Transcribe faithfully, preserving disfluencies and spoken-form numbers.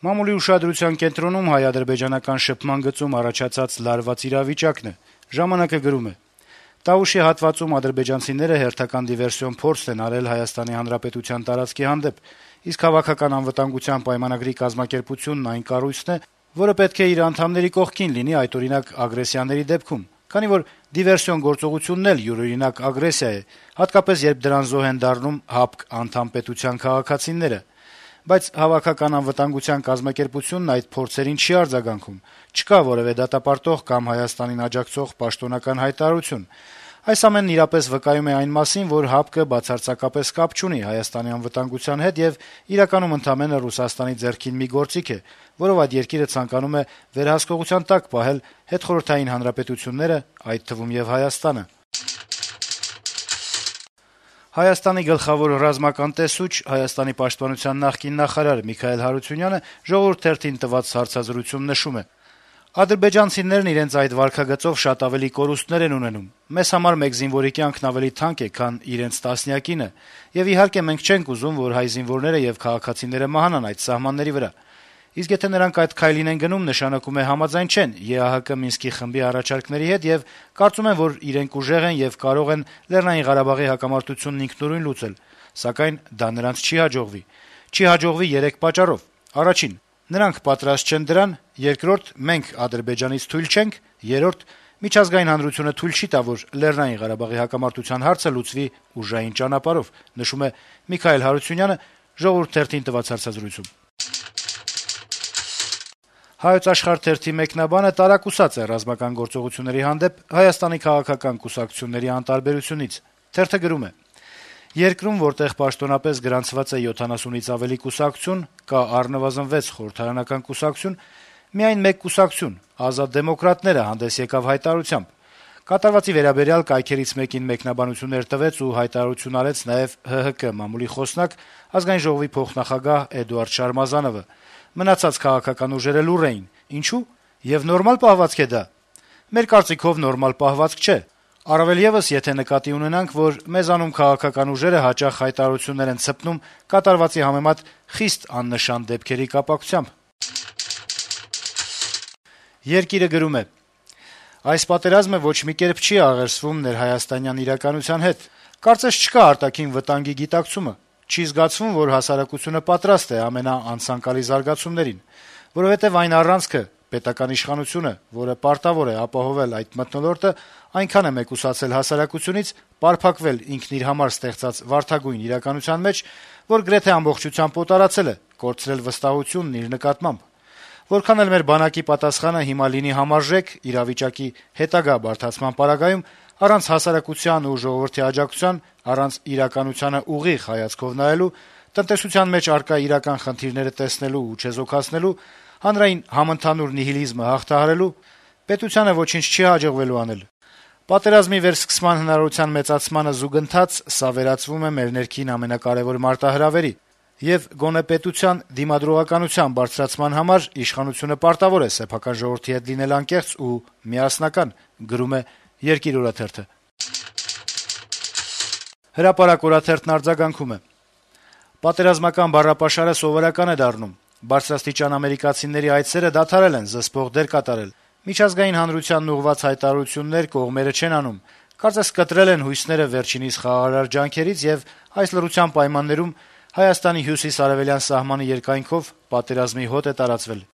Մամուլի ուշադրության կենտրոնում հայ-ադրբեջանական շփման գծում առաջացած լարված իրավիճակն է։ «Ժամանակ»-ը գրում է. - «Տավուշի հատվածում ադրբեջանցիները հերթական դիվերսիոն փորձ են արել Հայաստանի Հանրապետության տարածքի հանդեպ, իսկ Հավաքական անվտանգության պայմանագրի կազմակերպությունն այն կառույցն է, որը պետք է իր անդամների կողքին լինի այդօրինակ ագրեսիաների դեպքում, քանի որ դիվերսիոն գործողությունն էլ յուրօրինակ ագրեսիա է, հատկապես երբ դրան զոհ են դառնում ՀԱՊԿ անդամ պետության քաղաքացիները: Բայց Հավաքական անվտանգության կազմակերպությունն այդ փորձերին չի արձագանքում, չկա որեւէ դատապարտող կամ Հայաստանին աջակցող պաշտոնական հայտարարություն: Այս ամենն իրապես վկայում է այն մասին, որ ՀԱՊԿ-ը բացարձակապես կապ չունի Հայաստանի անվտանգության հետ եւ իրականում ընդամենը Ռուսաստանի ձեռքին մի գործիք է, որով այդ երկիրը ցանկանում է վերահսկողության տակ պահել հետխորհրդային հանրապետությունները, այդ թվում եւ Հայաստանը»: Հայաստանի գլխավոր ռազմական տեսուչ, Հայաստանի պաշտպանության նախկին նախարար Միքայել Հարությունյանը «Ժողովուրդ» թերթին տված հարցազրույցում նշում է. - «Ադրբեջանցիներն իրենց այդ վարքագծով շատ ավելի կորուստներ են ունենում: Մեզ համար մեկ զինվորի կյանքն ավելի թանկ է, քան իրենց տասնյակինը, եւ իհարկե մենք չենք ուզում, որ հայ զինվորները եւ քաղաքացիները մահանան այդ սահմանների վրա: Իսկ եթե նրանք այդ քայլին են գնում, նշանակում է համաձայն չեն ԵԱՀԿ Մինսկի խմբի առաջարկների հետ եւ կարծում են, որ իրենք ուժեղ են եւ կարող են Լեռնային Ղարաբաղի հակամարտությունն ինքնուրույն լուծել: Սակայն դա նրանց չի հաջողվի: Չի հաջողվի երեք պատճառով. Առաջին՝ նրանք պատրաստ չեն դրան, երկրորդ՝ մենք Ադրբեջանից թույլ չենք, երրորդ՝ միջազգային հանրությունը թույլ չի տա, որ Լեռնային Ղարաբաղի հակամարտության հարցը լուծվի ուժային ճանապարհով»: «Հայոց Աշխարհ» թերթի մեկնաբանը տարակուսած է ռազմական գործողությունների հանդեպ Հայաստանի քաղաքական կուսակցությունների անտարբերությունից: Թերթը գրում է. - «Երկրում, որտեղ պաշտոնապես գրանցված է յոթանասունից ավելի կուսակցություն, կա առնվազն վեց խորհրդարանական կուսակցություն, միայն մեկ կուսակցություն` Ազատ դեմոկրատները, հանդես եկավ հայտարարությամբ: Կատարվածի վերաբերյալ կայքերից մեկին մեկնաբանություններ տվեց ու հայտարարություն արեց նաեւ ՀՀԿ մամուլի խոսնակ, Ազգային ժողովի փոխնախագահ Էդուարդ Շարմազանովը: Մնացած քաղաքական ուժերը լուռ էին: Ինչո՞ւ: Եվ նորմալ պահվածք է դա: Մեր կարծիքով նորմալ պահվածք չէ: Առավել եւս, եթե նկատի ունենանք, որ մեզանում քաղաքական ուժերը հաճախ հայտարարություններ են ցպնում կատարվածի համեմատ խիստ աննշան դեպքերի կապակցությամբ»: «Երկիր»-ը գրում է. - «Այս պատերազմը ոչ մի կերպ չի աղերսվում ներհայաստանյան իրականության հետ: Կարծես չկա արտաքին վտանգի գիտակցումը: Չի զգացվում, որ հասարակությունը պատրաստ է ամենաանցանկալի զարգացումներին: Որովհետեւ այն առանցքը` պետական իշխանությունը, որը պարտավոր է ապահովել այդ մթնոլորտը, այնքան է մեկուսացել հասարակությունից, պարփակվել ինքն իր համար ստեղծած վարդագույն իրականության մեջ, որ գրեթե ամբողջությամբ օտարացել է, կորցրել վստահությունն իր նկատմամբ: Որքան էլ մեր բանակի պատասխանը հիմա լինի համարժեք, իրավիճակի հետագա բարդացման պարագայում, առանց հասարակության ու ժողովրդի աջակցության, առանց իրականությանը ուղիղ հայացքով նայելու, տնտեսության մեջ առկա իրական խնդիրները տեսնելու ու չեզոքացնելու, հանրային համընդհանուր նիհիլիզմը հաղթահարելու, պետությանը ոչինչ չի հաջողվելու անել: Պատերազմի վերսկսման հնարավորության մեծացմանը զուգընթաց սա վերածվում է մեր ներքին ամենակարեւոր մարտահրավերի, եւ գոնե պետության դիմադրողականության բարձրացման համար իշխանությունը պարտավոր է սեփական ժողովրդի հետ լինել անկեղծ ու միասնական»: «Հրապարակ» օրաթերթն արձագանքում է. - «Պատերազմական բառապաշարը սովորական է դառնում: Բարձրաստիճան ամերիկացիների այցերը դադարել են զսպող դեր կատարել: Միջազգային հանրությանն ուղղված հայտարարություններ կողմերը չեն անում: Կարծես կտրել են հույսները վերջինիս խաղաղարար ջանքերից, եւ այս լռության պայմաններում Հայաստանի հյուսիս-արեւելյան սահմանի երկայնքով պատերազմի հոտ է տարածվել: